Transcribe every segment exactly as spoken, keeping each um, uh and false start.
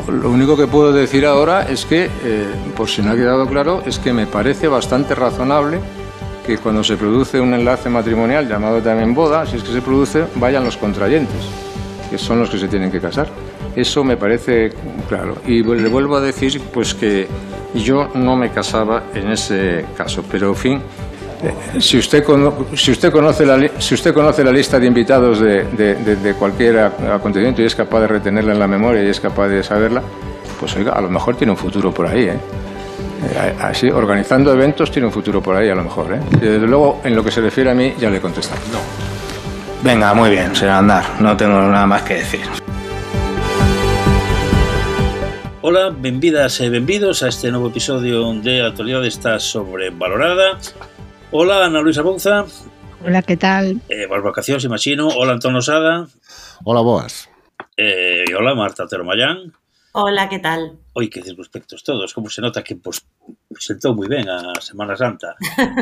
lo único que puedo decir ahora es que, eh, por si no ha quedado claro, es que me parece bastante razonable que cuando se produce un enlace matrimonial, llamado también boda, si es que se produce, vayan los contrayentes, que son los que se tienen que casar. Eso me parece claro. Y le vuelvo a decir pues que yo no me casaba en ese caso, pero en fin, eh, si, usted cono si, usted conoce la si usted conoce la lista de invitados de, de, de, de cualquier acontecimiento y es capaz de retenerla en la memoria y es capaz de saberla, pues oiga, a lo mejor tiene un futuro por ahí, ¿eh? Así, organizando eventos tiene un futuro por ahí a lo mejor, ¿eh? Desde luego, en lo que se refiere a mí, ya le he contestado. No. Venga, muy bien, señor Andar, no tengo nada máis que decir. Ola, benvidas e benvidos a este novo episodio de Actualidade está sobrevalorada. Ola, Ana Luisa Bouza. Hola, que tal? Eh, boas vacacións, imagino. Hola, Antón Osada. Hola, boas. Eh, hola, Marta Otero Mayán. Hola, que tal? Oi, que circunspectos todos. Como se nota que pues, sentou moi ben a Semana Santa.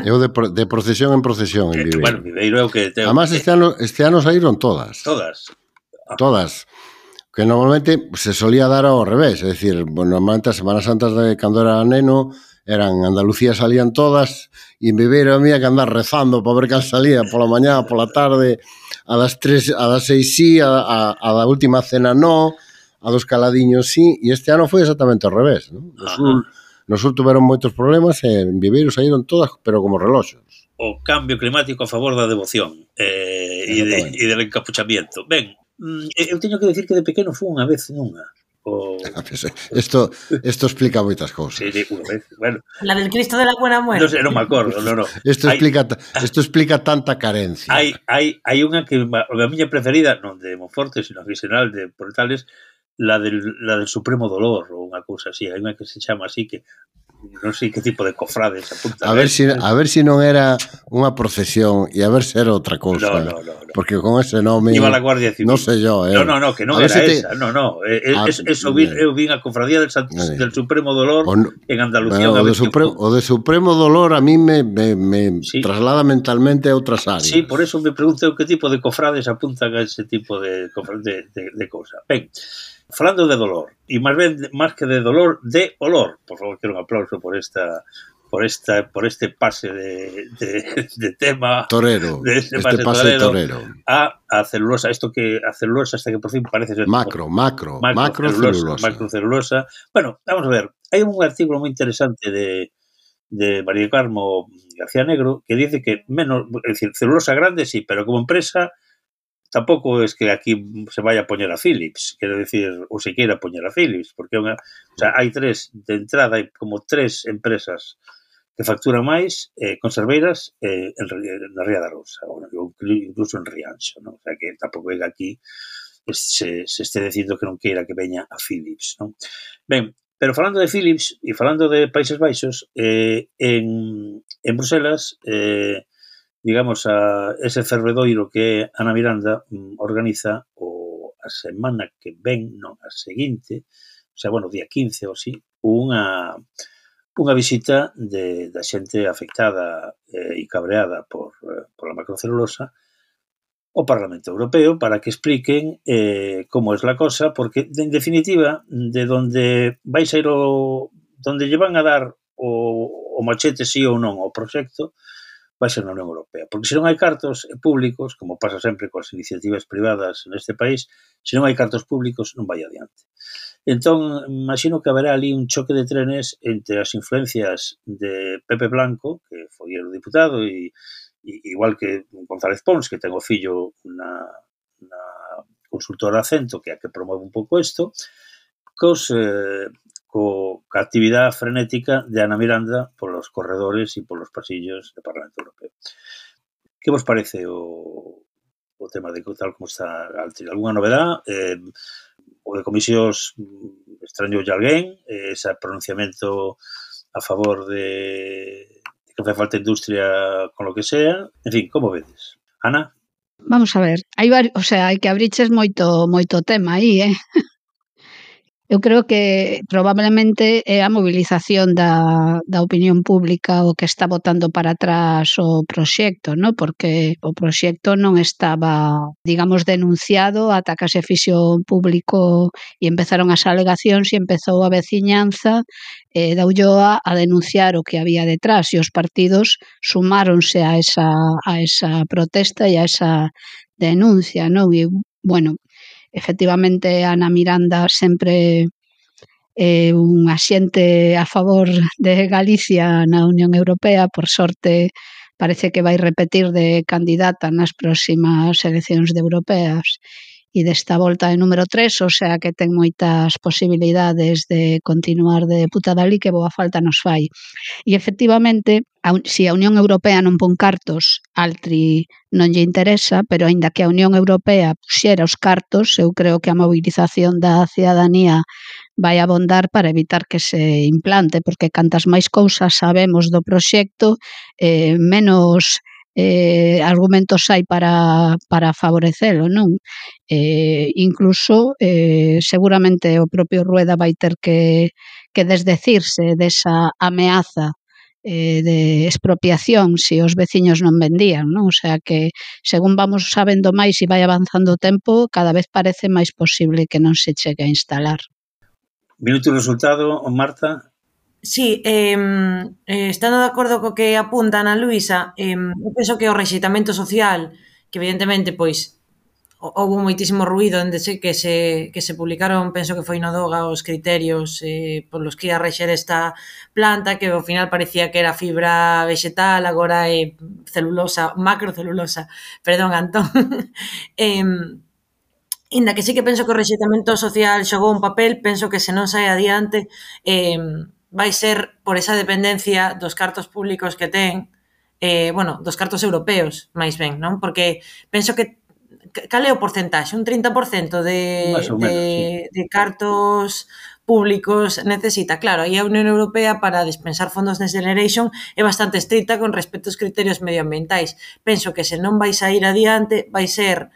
Eu de, de procesión en procesión en eh, Viveiro. Bueno, Viveiro é o que... Teo, Además, este ano, este ano saíron todas. Todas. Ah. Todas. Que normalmente se solía dar ao revés. É dicir, bueno, normalmente as Semanas Santas de cando era neno eran Andalucía salían todas e en Viveiro había que andar rezando para ver cal salía pola mañá, pola tarde, a das tres, a das seis sí, a, a, a da última cena no, a dos caladiños sí, e este ano foi exactamente ao revés, ¿no? No sur, no sur tuveron moitos problemas e en Viveiro saíron todas, pero como reloxos. O cambio climático a favor da devoción eh, e, de, e del encapuchamiento. Ben, eu teño que decir que de pequeno fui unha vez nunha. O... Esto, esto explica moitas cousas. Sí, sí, unha vez, bueno. La del Cristo de la Buena Muerte. No sé, non me acordo, no, no. Esto hay, explica, esto explica tanta carencia. Hai, hai, hai unha que, a miña preferida, non de Monforte, sino que xeral de Portales, la del, la del Supremo Dolor, ou unha cousa así. Hai unha que se chama así que non sei que tipo de cofrades apunta. A ver si a ver si non era unha procesión e a ver se era outra cousa. No, no, no, no. Porque con ese nome iba la Guardia Civil. Non sei yo, eh. No, no, no, que non era si esa. Te... No, no, eh, ah, es, eso vi, eu vin a cofradía del, San... eh. del Supremo Dolor no... en Andalucía. Bueno, o, de Supremo, o de Supremo Dolor a mí me, me, me sí. traslada mentalmente a outras áreas. Sí, por eso me pregunto que tipo de cofrades apuntan a ese tipo de, de, de, de cosa. Ben, falando de dolor, e máis ben, máis que de dolor, de olor. Por favor, quero un aplauso por esta por esta por este pase de, de, de tema torero, de este, este pase, pase torero, torero a, a celulosa, esto que a celulosa hasta que por fin parece ser macro, macro, macro, macro celulosa, macro celulosa. Bueno, vamos a ver, hai un artículo moi interesante de de María Carmo García Negro que dice que menos, es decir, celulosa grande sí, pero como empresa tampouco es que aquí se vaya a poñer a Philips, quero decir, ou se queira poñer a Philips, porque unha, o sea, hai tres, de entrada hai como tres empresas que facturan máis eh, conserveiras eh, en, na Ría da Rosa, ou incluso en Rianxo, ¿no? O sea, que tampouco é que aquí se, se este dicindo que non queira que veña a Philips, ¿no? Ben, pero falando de Philips e falando de Países Baixos, eh, en, en Bruselas, eh, digamos, a ese fervedoiro que Ana Miranda mm, organiza o a semana que ven, non, a seguinte, o sea, bueno, día quince ou así, unha, unha visita de, da xente afectada eh, e cabreada por, eh, por a macrocelulosa ao Parlamento Europeo para que expliquen eh, como es la cosa, porque, en definitiva, de donde vais a ir o... donde lle van a dar o, o machete sí ou non ao proxecto, vai ser na Unión Europea. Porque se non hai cartos públicos, como pasa sempre coas iniciativas privadas neste país, se non hai cartos públicos non vai adiante. Entón, imagino que haberá ali un choque de trenes entre as influencias de Pepe Blanco, que foi o diputado, e, e igual que González Pons, que ten o fillo na, na consultora Acento, que é a que promove un pouco isto, cos... Eh, co a actividade frenética de Ana Miranda polos corredores e polos pasillos do Parlamento Europeo. Que vos parece o, o tema de tal como está Altri? Alguna novedade? Eh, o de comisións extrañou de alguén? Eh, ese pronunciamento a favor de, de que fai falta industria con lo que sea? En fin, como vedes? Ana? Vamos a ver, hai vari... o sea, hai que abriches moito moito tema aí, eh? Eu creo que probablemente é a mobilización da, da opinión pública o que está botando para atrás o proxecto, no? Porque o proxecto non estaba, digamos, denunciado ata que se fixo público e empezaron as alegacións e empezou a veciñanza eh, da Ulloa a denunciar o que había detrás e os partidos sumáronse a esa, a esa protesta e a esa denuncia, non? E, bueno, efectivamente Ana Miranda sempre é eh, un axente a favor de Galicia na Unión Europea, por sorte parece que vai repetir de candidata nas próximas eleccións de europeas e desta volta de número tres, o sea que ten moitas posibilidades de continuar de deputada ali, que boa falta nos fai. E efectivamente, a, si a Unión Europea non pon cartos, Altri non lle interesa, pero aínda que a Unión Europea puxera os cartos, eu creo que a mobilización da cidadanía vai abondar para evitar que se implante, porque cantas máis cousas sabemos do proxecto, eh, menos eh, argumentos hai para, para favorecelo, non? Eh, incluso, eh, seguramente o propio Rueda vai ter que, que desdecirse desa ameaza eh, de expropiación se os veciños non vendían, non? O sea que, según vamos sabendo máis e vai avanzando o tempo, cada vez parece máis posible que non se chegue a instalar. Minuto o resultado, Marta. Sí, eh, eh, estando de acordo co que apunta Ana Luisa, eh, eu penso que o rexeitamento social, que evidentemente, pois, houve moitísimo ruído onde se, que, se, que se publicaron, penso que foi no Doga, os criterios eh, polos que ia rexer esta planta, que ao final parecía que era fibra vegetal, agora é celulosa, macrocelulosa, perdón, Antón. eh, Inda que sí que penso que o rexeitamento social xogou un papel, penso que se non sai adiante eh, vai ser por esa dependencia dos cartos públicos que ten, eh, bueno, dos cartos europeos, máis ben, non? Porque penso que cal é o porcentaxe? Un trinta por cento de, Más ou menos, de, sí. de cartos públicos necesita. Claro, aí a Unión Europea para dispensar fondos Next Generation é bastante estricta con respecto aos criterios medioambientais. Penso que se non vai sair adiante, vai ser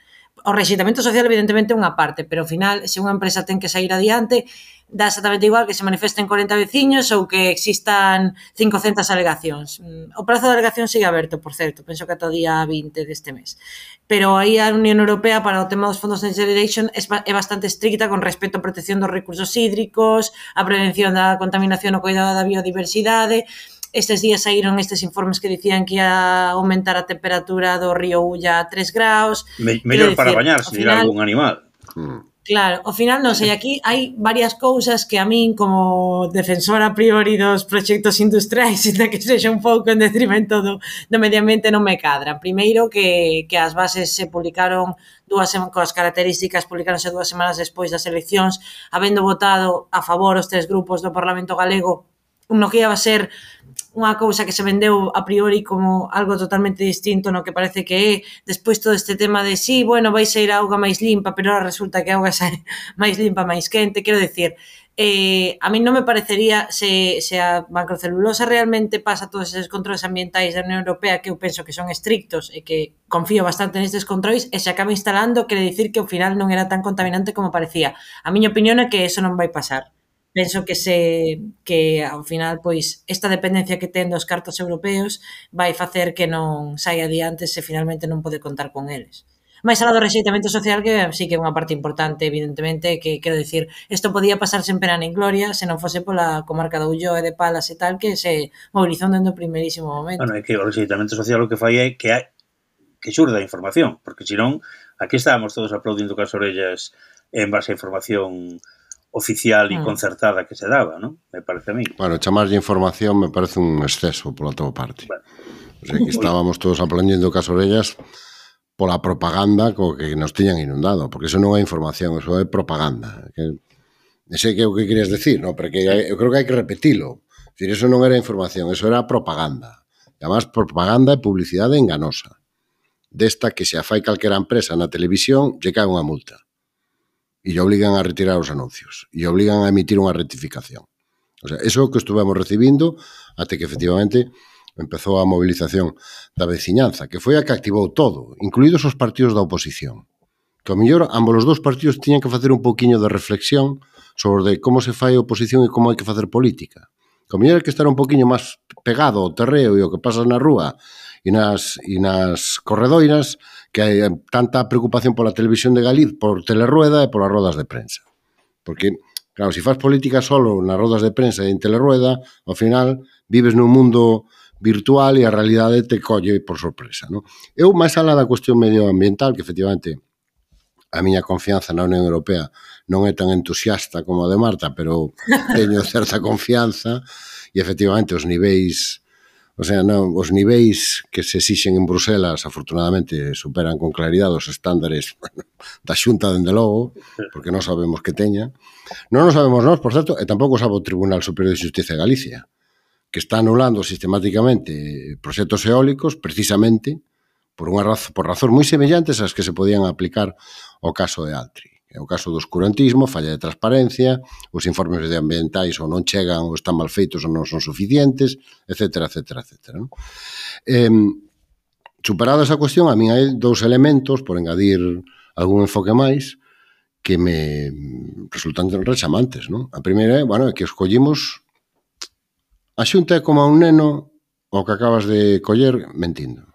o rexeitamento social evidentemente unha parte, pero ao final, se unha empresa ten que sair adiante, dá exactamente igual que se manifesten corenta veciños ou que existan cincocentas alegacións. O prazo de alegación sigue aberto, por certo, penso que ata o día vinte deste mes. Pero aí a Unión Europea para o tema dos fondos Next Generation é bastante estricta con respecto á protección dos recursos hídricos, a prevención da contaminación, o cuidado da biodiversidade. Estes días saíron estes informes que dicían que ia aumentar a temperatura do río Ulla a tres graus. Me, mellor para bañarse, dirá algún animal. Mm. Claro, ao final non sei, aquí hai varias cousas que a min como defensora a priori dos proxectos industriais, e que sexa un pouco en detrimento do, do medio ambiente, non me cadran. Primeiro que, que as bases se publicaron dúas coas características, publicaronse dúas semanas despois das eleccións, habendo votado a favor os tres grupos do Parlamento Galego, no que ia a ser unha cousa que se vendeu a priori como algo totalmente distinto no que parece que é, despois todo este tema de sí, bueno, vai ser a auga máis limpa, pero ahora resulta que a auga é máis limpa, máis quente, quero decir, eh, a mí non me parecería se, se a macrocelulosa realmente pasa todos esos controles ambientais da Unión Europea, que eu penso que son estrictos e que confío bastante nestes controles, e se acaba instalando, quere dicir que ao final non era tan contaminante como parecía. A miña opinión é que eso non vai pasar. Penso que se que ao final pois esta dependencia que ten dos cartos europeos vai facer que non saia adiante se finalmente non pode contar con eles. Mais alá do rexeitamento social, que sí que é unha parte importante, evidentemente, que quero dicir, isto podía pasar sen pena nin gloria se non fose pola comarca do Ulloa e de Palas e tal, que se mobilizou dentro do primeirísimo momento. Bueno, é que o rexeitamento social o que fai é que hai que xurda a información, porque senón aquí estábamos todos aplaudindo cas orellas en base a información oficial e concertada que se daba, non? Me parece a mí. Bueno, chamarlle información me parece un exceso pola tua parte. Bueno. O sea, que estábamos todos aplaudindo cas orellas pola propaganda co que nos tiñan inundado, porque eso non é información, eso é propaganda. Que, non sei que o que querías decir, no? Porque eu creo que hai que repetilo. Es decir, eso non era información, eso era propaganda. E además, propaganda e publicidade enganosa. Desta que se a fai calquera empresa na televisión, lle cae unha multa. E lle obligan a retirar os anuncios. E obligan a emitir unha rectificación. O sea, eso é o que estuvemos recibindo até que efectivamente empezou a movilización da veciñanza, que foi a que activou todo, incluídos os partidos da oposición, que ao mellor ambos os dous partidos tiñan que facer un pouquiño de reflexión sobre como se fai a oposición e como hai que facer política. Que ao mellor hai que estar un pouquiño máis pegado ao terreo e ao que pasa na rúa e nas, e nas corredoiras, que hai tanta preocupación pola televisión de Galicia, por Telerrueda e polas rodas de prensa. Porque, claro, se faz política solo nas rodas de prensa e en Telerrueda, ao final vives nun mundo virtual e a realidade te colle por sorpresa, non? Eu, máis alá da cuestión medioambiental, que efectivamente a miña confianza na Unión Europea non é tan entusiasta como a de Marta, pero teño certa confianza e efectivamente os niveis, o sea, non, os niveis que se exixen en Bruselas afortunadamente superan con claridade os estándares, bueno, da Xunta, dende logo, porque non sabemos que teña. Non o sabemos nós, por certo, e tampouco sabe o Tribunal Superior de Xustiza de Galicia, que está anulando sistemáticamente proxectos eólicos precisamente por unha razón, por razóns moi semellantes ás que se podían aplicar ao caso de Altri. É o caso do oscurantismo, falla de transparencia, os informes medioambientais ou non chegan ou están mal feitos ou non son suficientes, etcétera, etcétera, etcétera. ¿No? Eh, superada esa cuestión, a mí hai dous elementos, por engadir algún enfoque máis, que me resultan rechamantes. ¿No? A primeira é, bueno, é que escollimos a Xunta é como a un neno o que acabas de coller mentindo.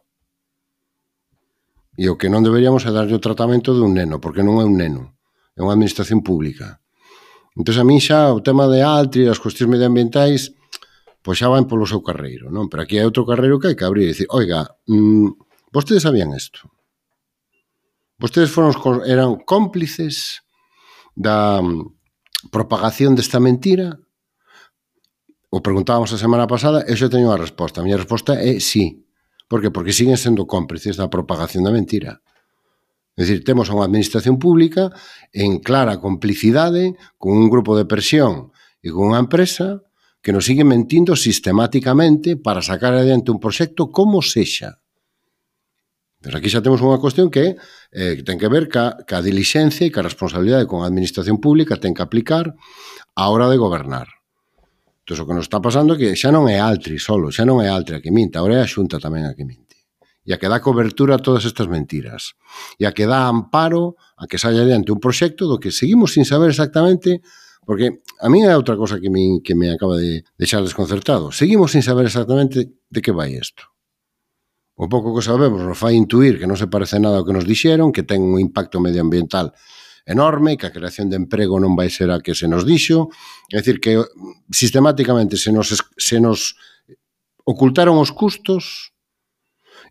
E o que non deberíamos é darlle o tratamento de un neno, porque non é un neno, é unha administración pública. Entón, a mí xa o tema de Altri e as cuestións medioambientais pois xa van polo seu carreiro, non? Pero aquí hai outro carreiro que hai que abrir e dicir, oiga, mmm, vostedes sabían isto? Vostedes foron, eran cómplices da propagación desta mentira? O preguntábamos a semana pasada e xa teño a resposta. A miña resposta é sí. Por que? Porque siguen sendo cómplices da propagación da mentira. É dicir, temos unha administración pública en clara complicidade con un grupo de presión e con unha empresa que nos sigue mentindo sistemáticamente para sacar adiante un proxecto como sexa. Pero aquí xa temos unha cuestión que, eh, que ten que ver ca, ca dilixencia e ca responsabilidade con a administración pública ten que aplicar á hora de gobernar. Entón, o que nos está pasando é que xa non é Altri solo, xa non é Altri a que minta, agora é a Xunta tamén a que minte. E a que dá cobertura a todas estas mentiras. E a que dá amparo a que saia adiante un proxecto do que seguimos sin saber exactamente, porque a mí é outra cosa que me, que me acaba de deixar desconcertado. Seguimos sin saber exactamente de que vai isto. O pouco que sabemos nos fai intuir que non se parece nada ao que nos dixeron, que ten un impacto medioambiental enorme, que a creación de emprego non vai ser a que se nos dixo, é dicir, que sistemáticamente se nos, se nos ocultaron os custos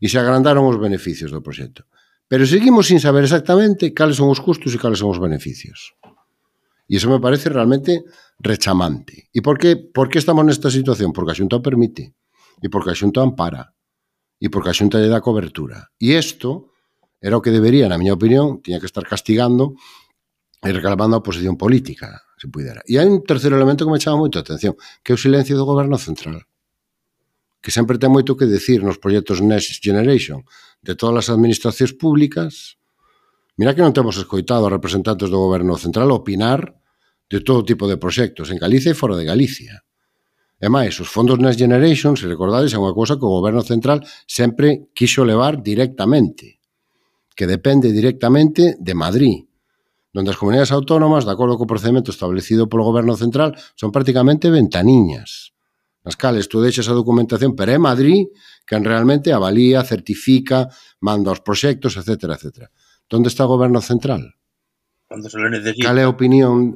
e se agrandaron os beneficios do proxecto. Pero seguimos sin saber exactamente cales son os custos e cales son os beneficios. E iso me parece realmente rechamante. E por que, por que estamos nesta situación? Porque a Xunta o permite, e porque a Xunta ampara, e porque a Xunta lle dá cobertura. E isto era o que debería, na miña opinión, tiña que estar castigando e reclamando a oposición política, se pudera. E hai un terceiro elemento que me chama moito a atención, que é o silencio do goberno central, que sempre ten moito que decir nos proxectos Next Generation de todas as administracións públicas. Mira que non temos escoitado a representantes do goberno central opinar de todo tipo de proxectos en Galicia e fora de Galicia. E máis, os fondos Next Generation, se recordades, é unha cousa que o goberno central sempre quixo levar directamente, que depende directamente de Madrid, donde as comunidades autónomas, de acordo co procedimento establecido polo goberno central, son prácticamente ventaniñas, nas cales tú deixas a documentación, pero é Madrid quen realmente avalía, certifica, manda os proxectos, etcétera, etcétera. Onde está o goberno central? Cando se lo necesita. Cal é a opinión?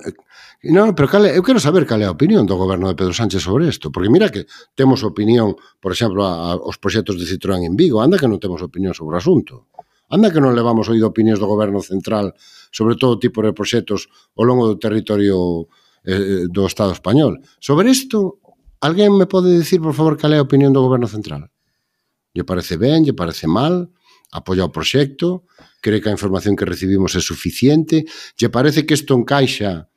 Non, pero cal é, eu quero saber cal é a opinión do goberno de Pedro Sánchez sobre isto, porque mira que temos opinión, por exemplo, a, a, os proxectos de Citroën en Vigo, anda que non temos opinión sobre o asunto. Anda que non levamos oído opinións do goberno central sobre todo tipo de proxectos ao longo do territorio eh, do Estado español. Sobre isto, alguén me pode dicir, por favor, cal é a opinión do goberno central? Lle parece ben, lle parece mal, apoia o proxecto, cree que a información que recibimos é suficiente, lle parece que isto encaixa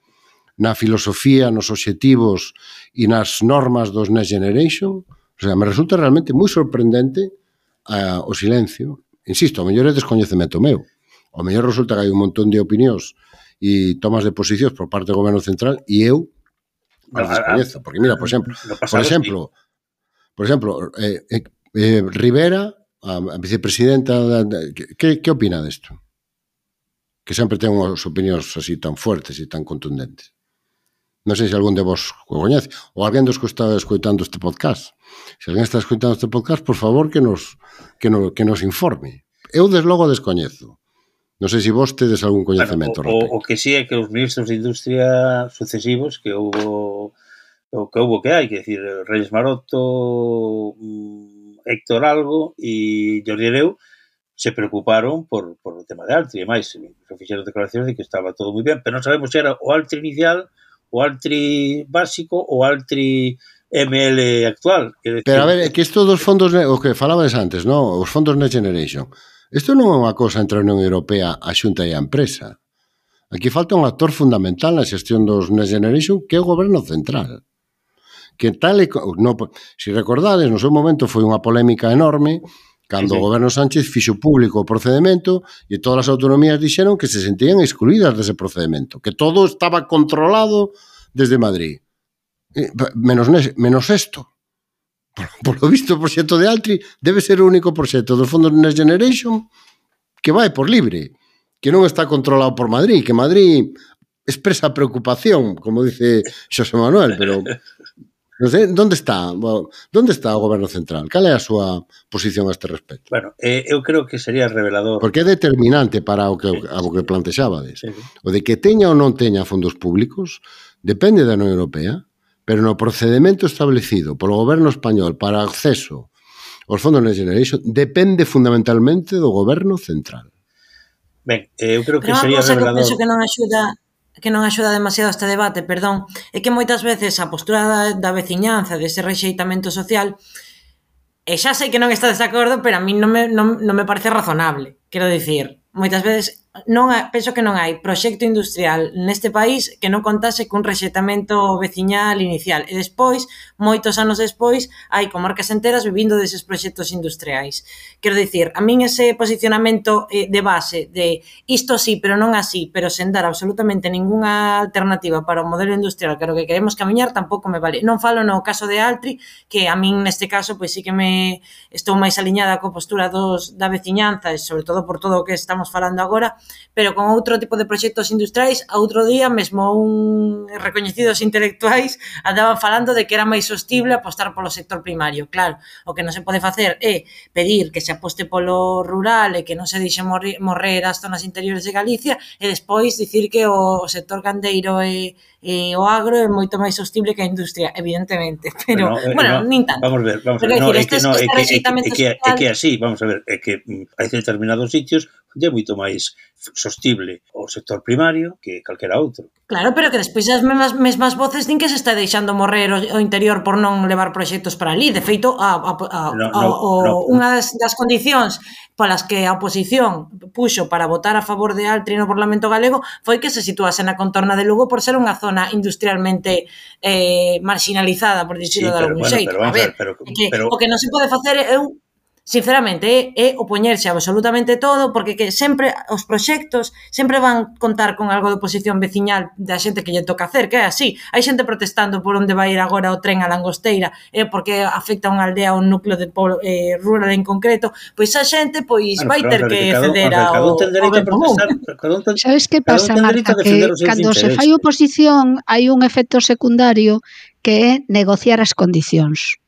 na filosofía, nos obxectivos e nas normas dos Next Generation? O sea, me resulta realmente moi sorprendente uh, o silencio. Insisto, o mellor é descoñecemento meu. O mellor resulta que hai un montón de opinións e tomas de posicións por parte do goberno central e eu as descoñezo. Porque mira, por exemplo, por exemplo, por exemplo, eh, eh, Rivera, a vicepresidenta, que, que opina desto? que sempre ten unhas opinións así tan fuertes e tan contundentes. Non sei se algún de vos o coñece, ou alguén dos que está escoitando este podcast. Se alguén está escoitando este podcast, por favor, que nos, que nos, que nos informe. Eu, desde logo, descoñezo. Non sei se vos tedes algún coñecemento. Bueno, o, o, o que sí é que os ministros de Industria sucesivos que houbo o que houbo que hai, que decir, Reyes Maroto, Héctor Algo e Jordi Hereu se preocuparon por, por o tema de Altri, e máis, fixeron declaracións de que estaba todo moi ben, pero non sabemos se era o Altri inicial, o Altri básico ou o Altri M L actual. Que decir, pero a ver, é que isto dos fondos, o que falabas antes, non? Os fondos Next Generation, isto non é unha cosa entre a Unión Europea, a Xunta e a empresa. Aquí falta un actor fundamental na xestión dos Next Generation, que é o goberno central. Que tal e, no, se recordades, no seu momento foi unha polémica enorme cando sí, sí. o goberno Sánchez fixo público o procedimento e todas as autonomías dixeron que se sentían excluídas dese procedimento, que todo estaba controlado desde Madrid. Menos, menos esto. Por, por lo visto, o proxecto de Altri debe ser o único proxecto dos fondos Next Generation que vai por libre, que non está controlado por Madrid, que Madrid expresa preocupación, como dice Xosé Manuel, pero... Non sei, onde está? Onde está o goberno central? Cal é a súa posición a este respecto? Bueno, eh, eu creo que sería revelador. Porque é determinante para o que, a o que plantexabades. Sí, sí. O de que teña ou non teña fondos públicos depende da Unión Europea, pero no procedimento establecido polo goberno español para acceso aos fondos Next Generation depende fundamentalmente do goberno central. Ben, eh, eu creo que pero sería revelador. Que penso que non axuda que non axuda demasiado este debate, perdón, é que moitas veces a postura da, da veciñanza, dese rexeitamento social, e xa sei que non estades de acordo, pero a mí non me, non, non me parece razonable. Quero dicir, moitas veces non penso que non hai proxecto industrial neste país que non contase cun rexeitamento veciñal inicial. E despois, moitos anos despois, hai comarcas enteras vivindo deses proxectos industriais. Quero dicir, a min ese posicionamento eh, de base de isto sí, pero non así, pero sen dar absolutamente ningunha alternativa para o modelo industrial que é o que queremos camiñar, tampouco me vale. Non falo no caso de Altri, que a min neste caso pois sí que me estou máis aliñada coa postura dos, da veciñanza e sobre todo por todo o que estamos falando agora, pero con outro tipo de proxectos industriais, outro día mesmo un recoñecidos intelectuais andaban falando de que era máis sostible apostar polo sector primario. Claro, o que non se pode facer é pedir que se aposte polo rural e que non se dixe morrer as zonas interiores de Galicia e despois dicir que o sector gandeiro e, e o agro é moito máis sostible que a industria, evidentemente, pero, bueno, eh, bueno no, nin tanto. Vamos ver, vamos a ver, no, é que, no, é, que, é, que, é que así, vamos a ver, é que hai determinados sitios onde é moito máis sostible o sector primario que calquera outro. Claro, pero que despois as mesmas, mesmas voces din que se está deixando morrer o, o interior por non levar proxectos para ali. De feito, a, a, a, no, no, o, no. unha das, das condicións polas que a oposición puxo para votar a favor de Altri no Parlamento Galego foi que se situase na contorna de Lugo por ser unha zona industrialmente eh, marginalizada, por dicirlo sí, de algún bueno, xeito. Pero, a ver, pero, que, pero... o que non se pode facer é eu sinceramente, é, é opoñerse a absolutamente todo, porque que sempre os proxectos sempre van contar con algo de oposición veciñal da xente que lle toca hacer, que é así. Hai xente protestando por onde vai ir agora o tren a Langosteira, é porque afecta a unha aldea ou un núcleo de polo, eh, rural en concreto, pois a xente pois bueno, vai ter que ceder ao ben común. Sabes que pasa, Marta? Que cando se fai oposición hai un efecto secundario que é negociar as condicións.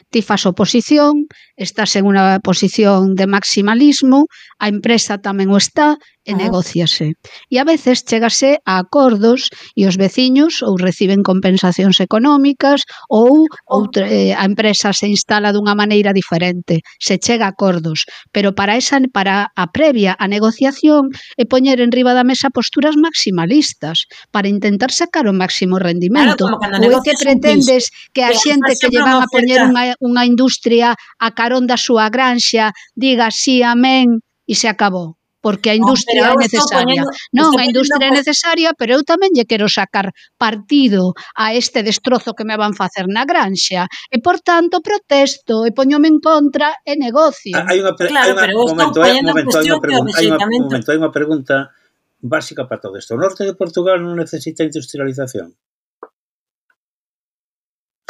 Ti fas oposición, estás en unha posición de maximalismo, a empresa tamén o está e negóciase. E a veces chegase a acordos e os veciños ou reciben compensacións económicas ou outra, eh, a empresa se instala dunha maneira diferente, se chega a acordos, pero para esa para a previa a negociación é poñer en riba da mesa posturas maximalistas para intentar sacar o máximo rendimento. Claro, ou é que pretendes que a xente que lle van a poñer unha, unha industria a carón da súa granxa diga sí, amén e se acabou. Porque a industria oh, é necesaria. Poniendo, non, a industria é necesaria, pero eu tamén lle quero sacar partido a este destrozo que me van facer na granxa. E, por tanto, protesto e poñome en contra e negocio. Hai unha claro, hai unha, momento, hai, momento, hai, unha pregunta, hai, unha, momento, hai unha pregunta básica para todo isto. O norte de Portugal non necesita industrialización?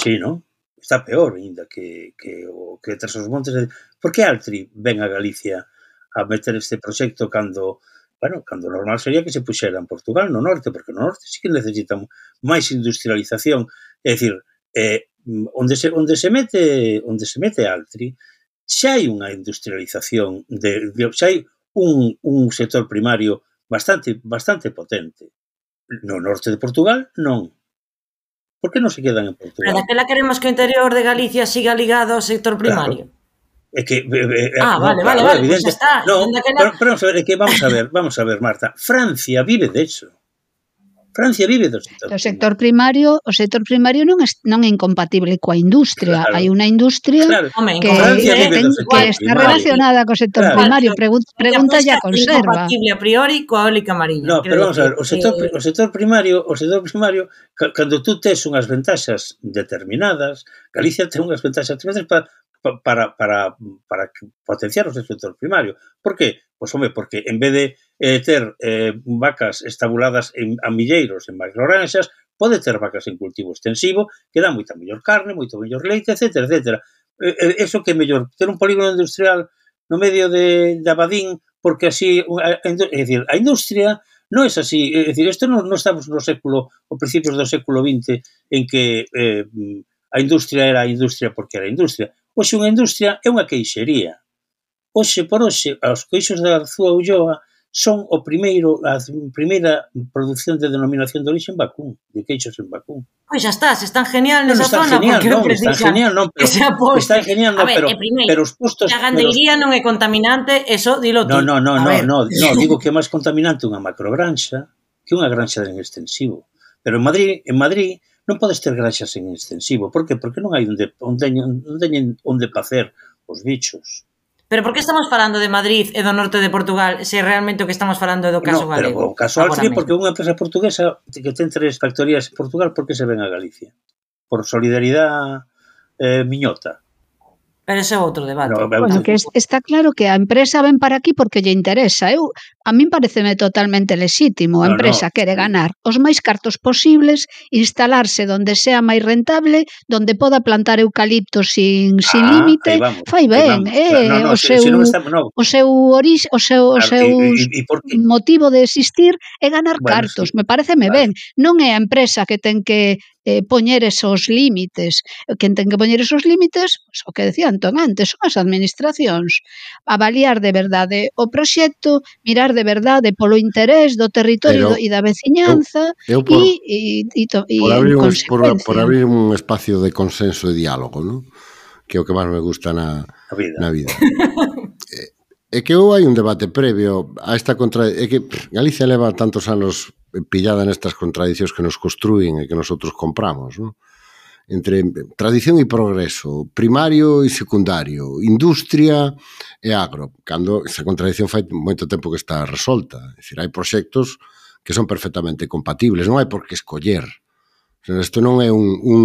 Sí, non? Está peor ainda que, que, o, que tras os montes. De... Por que Altri ven a Galicia a meter este proxecto cando bueno, cando normal sería que se puxera en Portugal, no norte, porque no norte sí que necesitan máis industrialización, é dicir, eh, onde se onde se mete onde se mete Altri, xa hai unha industrialización de, de xa hai un, un sector primario bastante bastante potente. No norte de Portugal, non. Por que non se quedan en Portugal? Pero daquela queremos que o interior de Galicia siga ligado ao sector primario. Claro. É que eh, ah, no, vale, claro, vale, vale, evidente. Pues está. No, daquela... pero, pero vamos a ver, é que vamos a ver, vamos a ver, Marta, Francia vive de eso. Francia vive do sector. O sector primario, o sector primario non é non é incompatible coa industria. Claro. Hai unha industria Claro. Home, que, Francia vive ten, do sector que está primario. relacionada co sector Claro. primario. Pregun pregunta ya conserva. Incompatible a priori coa eólica mariña. No, pero vamos a ver, o sector, eh... o sector primario, o sector primario, cando tú tes unhas ventaxas determinadas, Galicia ten unhas ventaxas determinadas para para para para potenciar o sector primario. Por qué? Pois, home, porque en vez de eh, ter eh, vacas estabuladas en, a milleiros en macrogranxas, pode ter vacas en cultivo extensivo que dá moita mellor carne, moito mellor leite, etcétera, etcétera. Eh, eso que é mellor, ter un polígono industrial no medio de, de Abadín, porque así, a, a, é dicir, a industria non é así, é dicir, isto non, non estamos no século, o principios do século vinte, en que eh, a industria era a industria porque era a industria. Hoxe unha industria é unha queixería. Hoxe por hoxe, os queixos da Arzúa Ulloa son o primeiro, a primeira produción de denominación de origen vacún, de queixos en vacún. Pois xa está, se están genial nesa no, están zona, genial, porque non, están genial, non, pero están genial, non, ver, pero, primeiro, pero os postos... A gandeiría non é contaminante, eso dilo tú. No, no, no, no, no, no, digo que é máis contaminante unha macrogranxa que unha granxa en extensivo. Pero en Madrid, en Madrid non podes ter granxas en extensivo. Por que? Porque non hai onde onde onde, onde pacer os bichos. Pero por que estamos falando de Madrid e do norte de Portugal se realmente o que estamos falando é do caso no, galego? Pero o caso Altri, porque unha empresa portuguesa que ten tres factorías en Portugal, por que se ven a Galicia? Por solidaridade eh, miñota. Pero ese é outro debate. No, bueno, que es, está claro que a empresa ven para aquí porque lle interesa. Eu, a min pareceme totalmente lexítimo. A no, empresa no. quere ganar os máis cartos posibles, instalarse donde sea máis rentable, donde poda plantar eucaliptos sin, sin ah, límite. Fai ben, eh, no, no, o, seu, si, si no estamos, no. o seu orix, o seu, o seu y, y, y motivo de existir é ganar bueno, cartos. Sí. Me pareceme vale. ben. Non é a empresa que ten que eh, poñer esos límites. Quen ten que poñer esos límites, pues, o que decía Antón antes, son as administracións. Avaliar de verdade o proxecto, mirar de verdade polo interés do territorio e da veciñanza eu, eu por, e, e, e, e por, abrir en un, consecuencia. Por, por abrir un espacio de consenso e diálogo, ¿no? Que é o que máis me gusta na, a vida. na vida. É que ou hai un debate previo a esta contradición. É que Galicia leva tantos anos pillada nestas contradicións que nos construín e que nosotros compramos, ¿no? Entre tradición e progreso, primario e secundario, industria e agro, cando esa contradición fai moito tempo que está resolta. É dicir, hai proxectos que son perfectamente compatibles, non hai por que escoller. Isto non é un, un,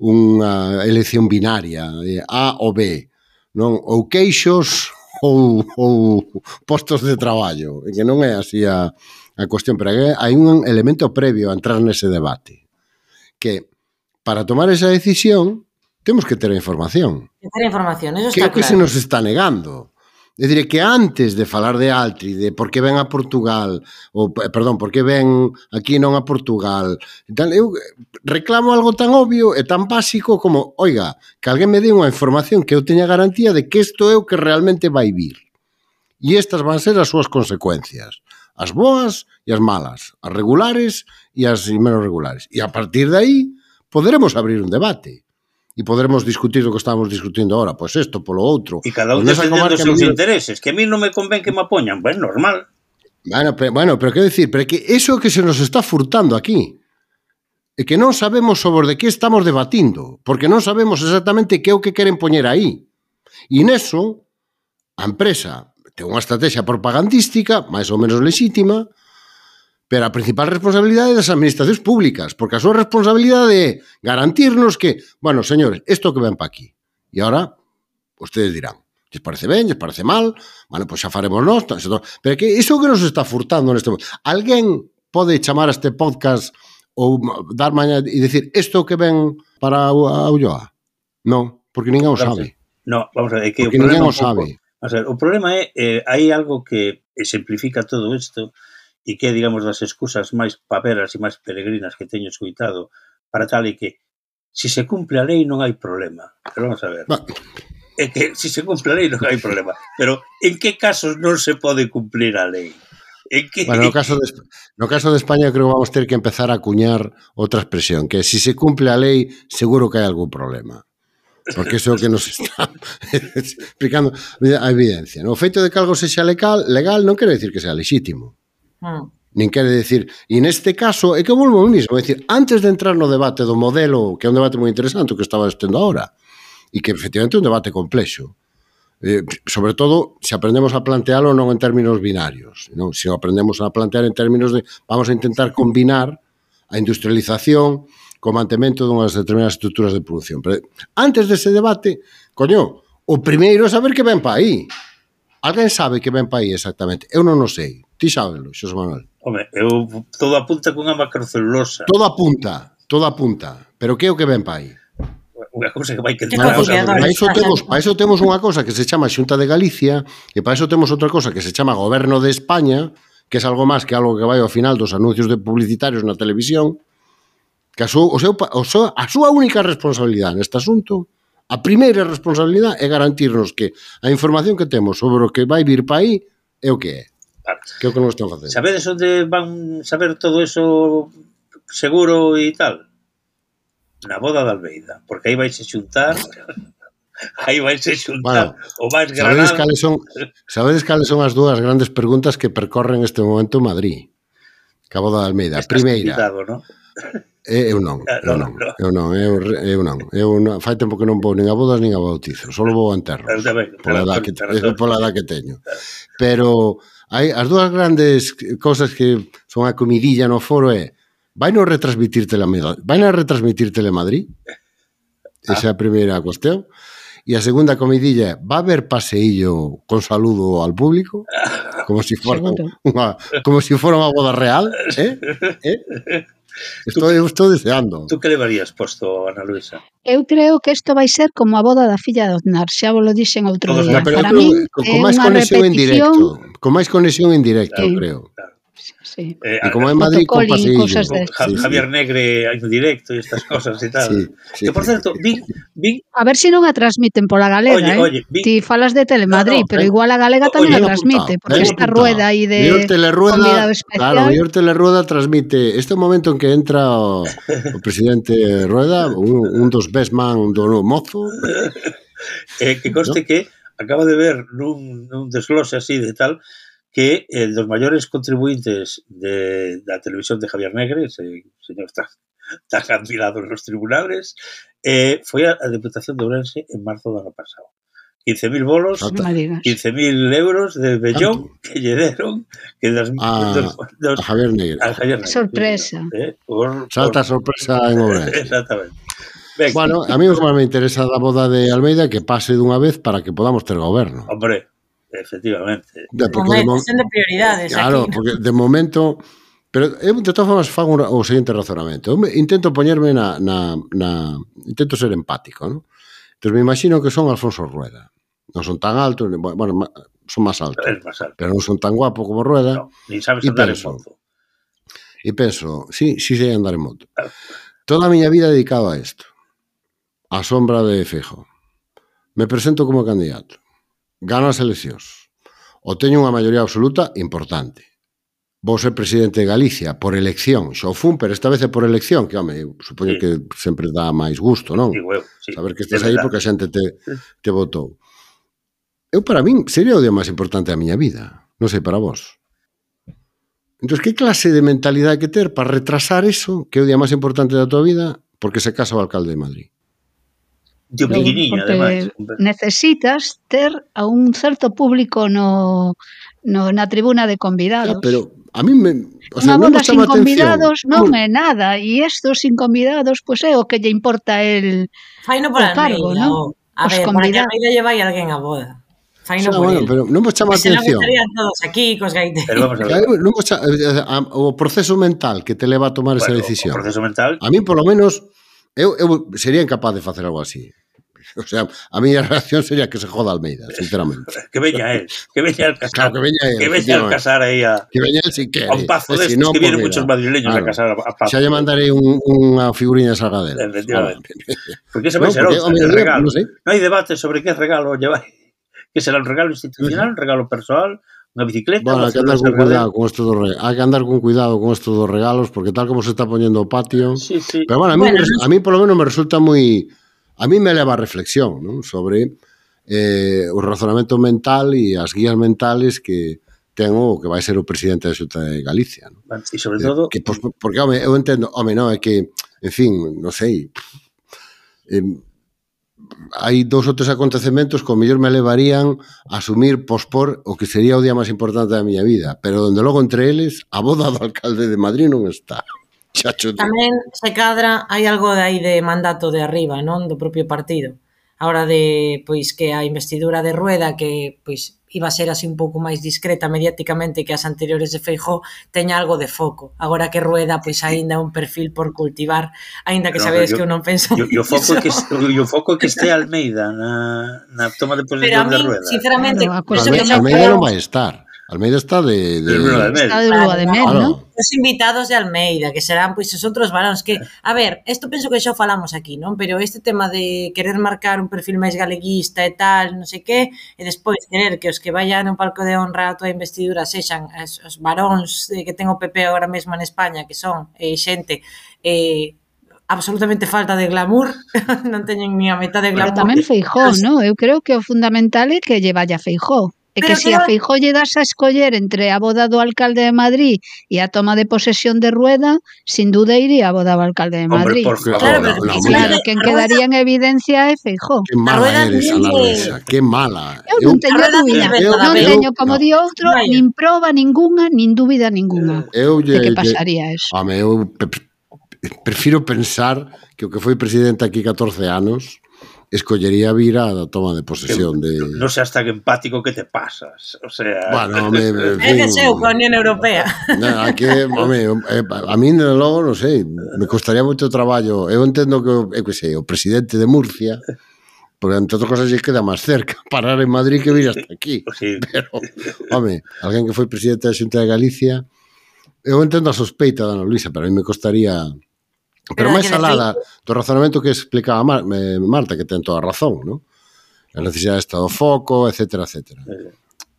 unha elección binaria, de A ou B, non? Ou queixos ou, ou postos de traballo, que non é así a, a cuestión, pero hai un elemento previo a entrar nese debate, que para tomar esa decisión temos que ter a información. Que ter a información, eso está claro. Que é o que se nos está negando. É dicir, que antes de falar de Altri, de por que ven a Portugal, ou, perdón, por que ven aquí non a Portugal, tal, eu reclamo algo tan obvio e tan básico como, oiga, que alguén me dé unha información que eu teña garantía de que isto é o que realmente vai vir. E estas van ser as súas consecuencias. As boas e as malas, as regulares e as menos regulares. E a partir de aí poderemos abrir un debate e poderemos discutir o que estamos discutindo ahora, pois pues isto polo outro. E cada un defendendo os seus intereses, que a mí non me convén que me apoñan, ben, normal. Bueno, pero, bueno, pero quero dicir, pero que eso que se nos está furtando aquí, é que non sabemos sobre de que estamos debatindo, porque non sabemos exactamente que é o que queren poñer aí. E neso, a empresa ten unha estrategia propagandística, máis ou menos lexítima, pero a principal responsabilidade é das administracións públicas, porque a súa responsabilidade é garantirnos que, bueno, señores, isto que ven pa aquí. E agora, ustedes dirán, lles parece ben, lles parece mal, bueno, pois xa faremos nós, pero que iso que nos está furtando neste momento. Alguén pode chamar a este podcast ou dar maña e dicir, isto que ven para a Ulloa? Non, porque ninguén o sabe. No, vamos a ver, é que porque ninguén o sabe. O sea, o problema é, eh, hai algo que exemplifica todo isto e que é, digamos, das excusas máis paperas e máis peregrinas que teño escuitado para tal e que se se cumple a lei non hai problema. Pero vamos a ver. Va. É que se se cumple a lei non hai problema. Pero en que casos non se pode cumplir a lei? En que... Bueno, no caso, de, no caso de España creo que vamos ter que empezar a acuñar outra expresión, que si se cumple a lei seguro que hai algún problema. Porque iso é o que nos está explicando a evidencia. No? O feito de que algo sexa legal, legal non quere decir que sea lexítimo. Mm. Nin quere decir, e neste caso é que volvo ao mismo, é dicir, antes de entrar no debate do modelo, que é un debate moi interesante o que estaba estendo agora, e que efectivamente é un debate complexo, eh, sobre todo se aprendemos a plantealo non en términos binarios, non? Se aprendemos a plantear en términos de vamos a intentar combinar a industrialización co mantemento dunhas determinadas estruturas de produción. Pero antes dese debate, coño, o primeiro é saber que ven pa aí. Alguén sabe que ven pa aí exactamente? Eu non o sei. Ti sábelo, Xosé Manuel. Home, eu todo apunta cunha macrocelulosa. Todo apunta, todo apunta. Pero que é o que ven pa aí? Unha cousa que vai que... Bueno, para iso temos, para iso temos unha cousa que se chama Xunta de Galicia e para iso temos outra cousa que se chama Goberno de España, que é algo máis que algo que vai ao final dos anuncios de publicitarios na televisión, que a súa, o seu, o seu, a súa única responsabilidade neste asunto, a primeira responsabilidade é garantirnos que a información que temos sobre o que vai vir para aí é o que é. Vale. Que é o que non están facendo. Sabedes onde van saber todo eso seguro e tal? Na boda de Almeida, porque aí vais a xuntar aí vais a xuntar bueno, o máis granado. Sabedes cales son, sabedes cales son as dúas grandes preguntas que percorren este momento en Madrid? Que a boda de Almeida. Estás Primeira, invitado, ¿no? Eu non, eu non, eu non, eu, eu non, eu non, fai tempo que non vou nin a bodas nin a bautizos, só vou a enterros, pola edad que, pola edad que teño. Pero hai as dúas grandes cousas que son a comidilla no foro é, vai non retransmitir Telemadrid, vai non retransmitir Telemadrid? Esa é a primeira cuestión. E a segunda comidilla é, va a haber paseillo con saludo al público? Como si fora unha, como si fora unha boda real, eh? Eh? Estou, eu estou deseando. Tú que levarías posto, Ana Luisa? Eu creo que isto vai ser como a boda da filla de Aznar, xa vos lo dixen outro Todos día. No, Para mí con, é con máis unha conexión en repetición... directo, con máis conexión en directo, Sí. creo. Claro. Sí. Eh, E como en Madrid con Protocolo y paseillo. cosas de- Ja- Sí, sí. Javier Negre en directo e estas cosas e tal. Sí, sí, que, por sí. certo, vi, vi A ver se non a transmiten pola galega, Oye, eh? oye, vi- Ti falas de Telemadrid, No, no, pero ben- igual a galega oye, tamén Ben a transmite, apuntado, porque ben esta apuntado. rueda aí de Mellor Telerueda, convidado especial. claro, mellor Telerueda transmite este momento en que entra o, o presidente Rueda, un, un dos best man do mozo. eh, que conste ¿No? que acaba de ver nun, nun desglose así de tal que eh, los mayores contribuyentes de la televisión de Javier Negre, ese señor está, está cancelado en los tribunales, eh, foi a, a Deputación de Ourense en marzo do ano pasado. quince mil bolos, Exacto. Non me digas. quince mil euros de Bellón que lle deron que das, A- dos, dos, A Javier Negre. a Javier Negre. Sorpresa. Eh, por, Salta por, sorpresa en Ourense. exactamente. Venga, Bueno, a mí o que máis me interesa da boda de Almeida que pase dunha vez para que podamos ter goberno. hombre, efectivamente. De, porque Home, de mo- cuestión de prioridades Claro, aquí. porque de momento... Pero eu, de todas formas, fago una, o seguinte razonamento. Eu me, intento poñerme na, na, na... Intento ser empático, ¿no? Entón, me imagino que son Alfonso Rueda. Non son tan altos, ni- bueno, ma- son máis altos, Es más alto. pero non son tan guapos como Rueda. No, ni sabes Y andar en penso. moto. E penso, sí, sí sei andar en moto. Toda a miña vida dedicado a isto. A sombra de Feijóo. Me presento como candidato. Gano as eleccións. O teño unha maioría absoluta importante. Vou ser presidente de Galicia por elección. Xa o fun, pero esta vez é por elección, que, home, eu supoño Sí. que sempre dá máis gusto, non? Digo eu, sí. Saber que De estás aí verdad. porque a xente te, te votou. Eu, para min, sería o día máis importante da miña vida. Non sei para vos. Entón, que clase de mentalidade hai que ter para retrasar eso, que é o día máis importante da tua vida, porque se casa o alcalde de Madrid? Tío Pero, pequeniño, porque ademais. necesitas ter a un certo público no, no na tribuna de convidados. Ah, pero a mí me... O Unha sea, non boda me sin chama atención. convidados non Non- é nada, e estos sin convidados, pois pues, é o que lle importa el Faino por o cargo, Almeida, ¿no? o- A Os ver, para que convidados. Almeida lle vai alguén a boda. Faino Xa, por bueno, el. pero non me chama Que se non atención. estarían todos aquí, cos gaiteiros. Pero vamos a ver. Claro, non me chama, o proceso mental que te leva a tomar esa Bueno, decisión. o proceso mental, A mí, polo menos, eu, eu sería incapaz de facer algo así. O sea, a miña reacción sería que se joda Almeida, sinceramente. Que veña él, que veña el casar. Claro, que veña él, que veña el casar aí a... Que veña él si quere. A un pazo destes, si no, que pues vienen mira, muchos madrileños claro, a casar a, a pazo. Xa lle mandarei un, unha figuriña de Salgadero. Efectivamente. Porque ese vai no, ser porque, outra, hombre, el regalo. No, sé. Non hai debate sobre que regalo lle vai. Que será un regalo institucional, un regalo persoal, unha bicicleta... Bueno, hai que andar con cuidado con esto dos regalos. Hai que andar con cuidado con esto dos regalos, porque tal como se está poniendo o patio... Sí, sí. Pero bueno, a mí, bueno, a mí por lo menos me resulta moi... A mí me leva a reflexión, ¿no? Sobre eh, o razonamento mental e as guías mentales que ten o que vai ser o presidente da Xunta de Galicia, ¿no? E sobre todo... Eh, que, pues, porque, home, eu entendo... Home, non, é que, en fin, non sei... Eh, hai dous ou tres acontecementos que ao mellor me levarían a asumir, pospor o que sería o día máis importante da miña vida, pero donde logo entre eles a boda do alcalde de Madrid non está. Chacho. Tamén se cadra, hai algo de aí de mandato de arriba, non? Do propio partido. A hora de, pois, que a investidura de Rueda, que, pois, iba a ser así un pouco máis discreta mediáticamente que as anteriores de Feijóo, teña algo de foco. Agora que Rueda, pois, aínda é un perfil por cultivar, aínda que no, sabedes yo, que eu non penso yo, yo foco que o foco que este Almeida na, na toma de posesión de Rueda. Sinceramente, no, Almeida, Almeida non vai estar. Almeida está de... de... Está de lua de mel, ¿no? Os invitados de Almeida, que serán, pois, os outros varóns que... A ver, isto penso que xa falamos aquí, non? Pero este tema de querer marcar un perfil máis galeguista e tal, non sei que, e despois querer que os que vayan no palco de honra a tua investidura sexan os, os varóns que ten o P P agora mesmo en España, que son eh, xente... Eh, absolutamente falta de glamour, non teñen ni a metade de glamour. Pero tamén Feijóo, ¿no? Eu creo que o fundamental é que lle vaya Feijóo. É que se si a Feijóo lle das a escoller entre a boda do alcalde de Madrid e a toma de posesión de Rueda, sin duda iría a boda do alcalde de Madrid. Hombre, por favor, claro, no, pero, no, claro, quen quedaría en evidencia é Feijóo. Que mala eres, Ana Luisa, que mala. Eu non teño dúbida, non teño, como di outro, nin proba ninguna, nin dúbida ninguna de que pasaría eso. Home, eu prefiro pensar que o que foi presidente aquí catorce anos escollería vir a toma de posesión de... Non sei hasta que empático que te pasas, o sea... Bueno, me... É que seu coa Unión Europea. No, aquí, home, a mí, logo, non sei, me costaría moito traballo. Eu entendo que, eu que sei, o presidente de Murcia, porque entre outras cosas lle queda máis cerca parar en Madrid que vir hasta aquí. Sí. Pero, home, alguén que foi presidente da Xunta de Galicia, eu entendo a sospeita da Ana Luisa, pero a mí me costaría... Pero máis alá do razonamento que explicaba Marta, que ten toda a razón, ¿no? A necesidade de estado foco, etcétera, etcétera.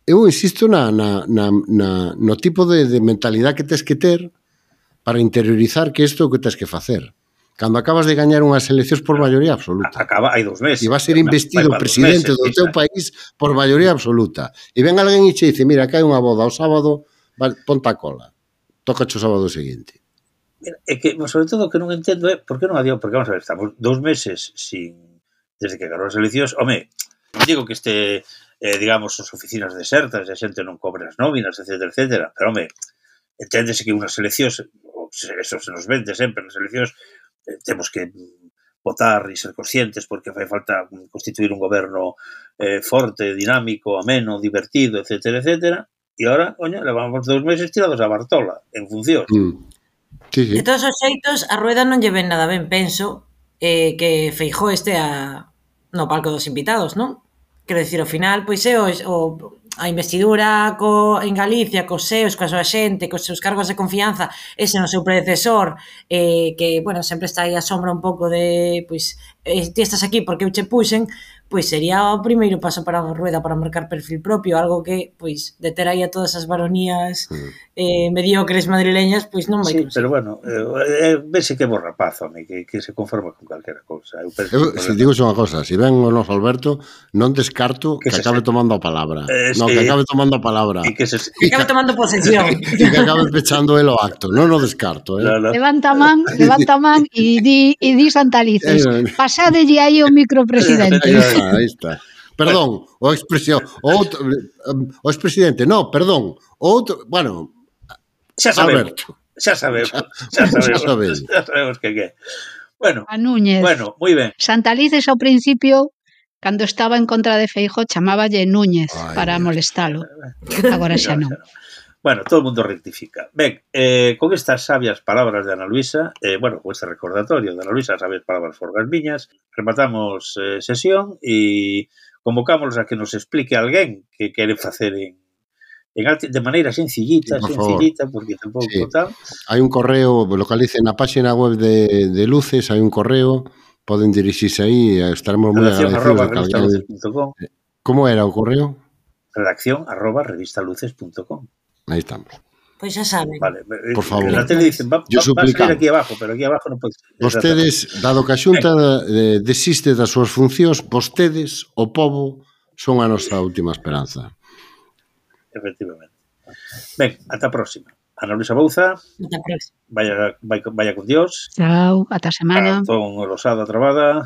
Eu insisto na, na, na, na, no tipo de, de mentalidade que tens que ter para interiorizar que isto é o que tens que facer. Cando acabas de gañar unhas eleccións por maioría absoluta. Acaba, hai dos meses. E vas ser investido presidente do teu país por maioría absoluta. E ven alguén e che dice, mira, que hai unha boda o sábado, ponta a cola. Tócache o sábado seguinte. É que, sobre todo, o que non entendo é por que non adiou, porque, vamos a ver, estamos dous meses sin, desde que ganou as eleccións, home, digo que este, eh, digamos, as oficinas desertas, a xente non cobre as nóminas, etcétera, etcétera, pero, home, enténdese que unhas eleccións, eso se nos vende sempre, nas eleccións, eh, temos que votar e ser conscientes porque fai falta constituir un goberno eh, forte, dinámico, ameno, divertido, etcétera, etcétera, e agora, coño, levamos dous meses tirados a Bartola, en función. Mm. Sí, sí. De todos os xeitos, a Rueda non lle ven nada ben, penso, eh, que Feijóo este a, no palco dos invitados, non? Quero dicir, ao final, pois é o, o, a investidura co, en Galicia, cos seus, coa súa xente, cos seus cargos de confianza, ese no seu predecesor, eh, que, bueno, sempre está aí a sombra un pouco de, pois, eh, ti estás aquí porque eu che puxen, pois sería o primeiro paso para a Rueda para marcar perfil propio, algo que, pois, de ter aí a todas as baronías eh, mediocres madrileñas, pois non vai sí, conseguir. Pero bueno, eh, vese que bo rapaz, home, que, que se conforma con calquera cousa. Eu, eu se digo unha cosa, se ven o noso Alberto, non descarto que, que acabe se... tomando a palabra. Eh, no, sí. Que acabe tomando a palabra. E que, se... que acabe tomando posesión. E que acabe pechando el o acto. Non o descarto, eh. No, no. Levanta man, levanta man e di, e di Santalices. Pasadelle aí o micropresidente. Aí está. Perdón, o expresión, o outro, o expresidente, no, perdón, o outro, bueno, xa sabemos, Alberto. xa sabemos, xa sabemos, xa sabemos, xa sabemos que que. Bueno, a Núñez. Bueno, moi ben. Santalices ao principio, cando estaba en contra de Feijóo, chamáballe Núñez. Ay, para molestalo. Agora xa non. Bueno, todo el mundo rectifica. Ben, eh, con estas sabias palabras de Ana Luisa, eh, bueno, con este recordatorio de Ana Luisa, sabias palabras forgas miñas, rematamos eh, sesión e convocámoslos a que nos explique alguén que quere facer en, en arte, de maneira sencillita, sí, por sencillita, favor. porque tampouco Sí. tal. Hai un correo, localicen na página web de, de Luces, hai un correo, poden dirixirse aí, estaremos moi Redacción agradecidos arroba de que alguén... revistaluces punto com. Como era o correo? Redacción arroba revistaluces punto com. Aí estamos. Pois xa saben. Vale, Por favor. en la tele dicen, va, va, va a salir aquí abajo, pero aquí abajo non pode ser. Vostedes, dado que a Xunta eh, desiste das súas funcións, vostedes, o povo, son a nosa última esperanza. Efectivamente. Ben, ata a próxima. Ana Luisa Bouza, Ata a próxima. vaya, vaya, vaya con Dios. Chao, ata semana. Antón Rosada Trabada.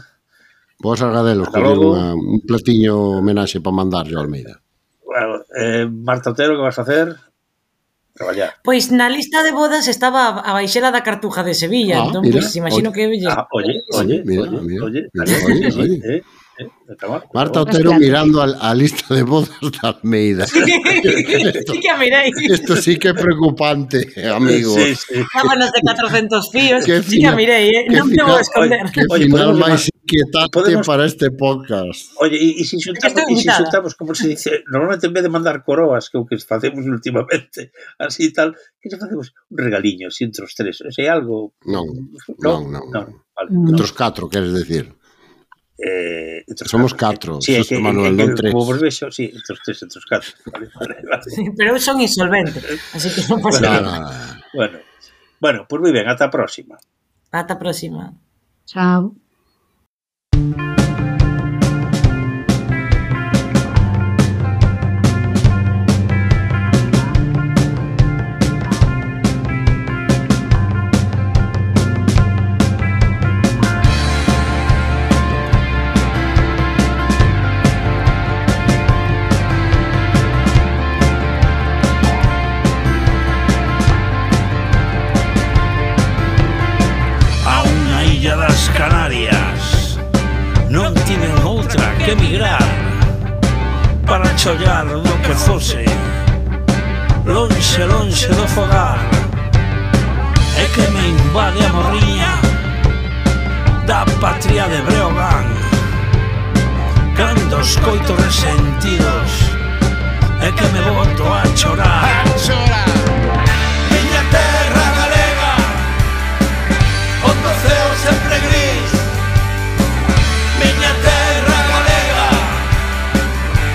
Vos Argadelos, Hasta colleu logo. unha- un platiño homenaxe para mandarlle ao Almeida. Bueno, eh, Marta Otero, que vas a hacer? Traballar. Pois na lista de bodas estaba a baixela da Cartuja de Sevilla, Ah, entón mira, pois imagino oye. que Ah, oye, Sí, oye, mira, oye, mira, oye, mira, está bien, oye, sí, oye. eh, eh, está mal, está Marta mal. Otero Hostia. mirando a, a lista de bodas de Almeida. Sí que a mirei. Esto sí que é preocupante, amigos. Sí, sí. Sábanas de catorcentos fíos, Qué sí que a final- mirei, eh? qué Non te vou final- esconder. Que Oye, final podemos máis llamar- inquietante podemos- para este podcast. Oye, y, y si xuntamos, estoy y si invitada. xuntamos, como se dice, normalmente en vez de mandar coroas, que é o que facemos últimamente, así tal, que se facemos un regaliño, así entre os tres. O sea, algo... Non, No, non, non. no, vale. No. Entre os catro, queres decir? Eh, entre os Somos catro, catro, sí, é Suso que, Manuel, é que, non tres. Como vos vexo, sí, entre os tres, entre os catro. Vale, vale, vale. Pero eu son insolvente, así que non pasa No, nada. no, no. Bueno, bueno, pues moi ben, ata a próxima. Ata a próxima. Chao. A unha illa das Canarias non tiven outra que emigrar para chollar do que fose lonxe, lonxe do fogar e que me invade a morriña da patria de Breogán cando os coito resentidos e que me boto a chorar Miña terra galega onde o ceo sempre gris Miña terra galega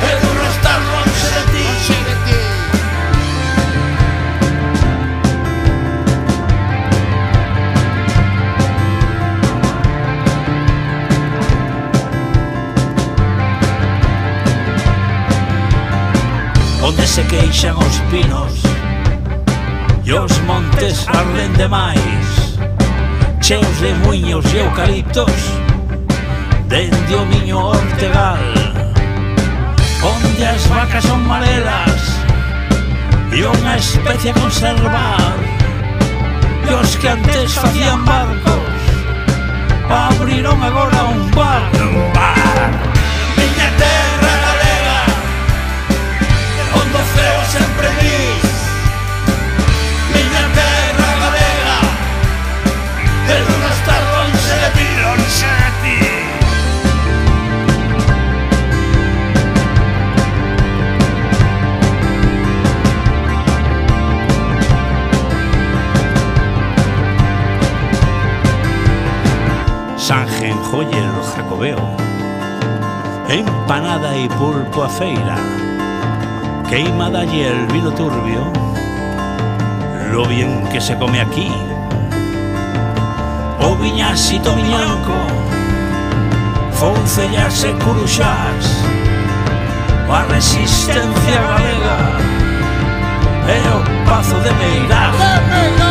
é duro estar lonxe de ti Onde se queixan os pinos e os montes arden demais cheos de muiños e eucaliptos dende o miño Ortegal onde as vacas son marelas e unha especie a conservar e os que antes facían barcos abriron agora un bar un bar Miña terra galega onde o ceo sempre gris Miña terra galega é duro estar lonxe de ti, lonxe de ti. Sanjenjoyer Jacobeo, empanada y pulpo a feira, queimada y el vino turbio, lo bien que se come aquí. O viñasito miñanco, foncellas e curuxás, a resistencia galega e o pazo de Meirás.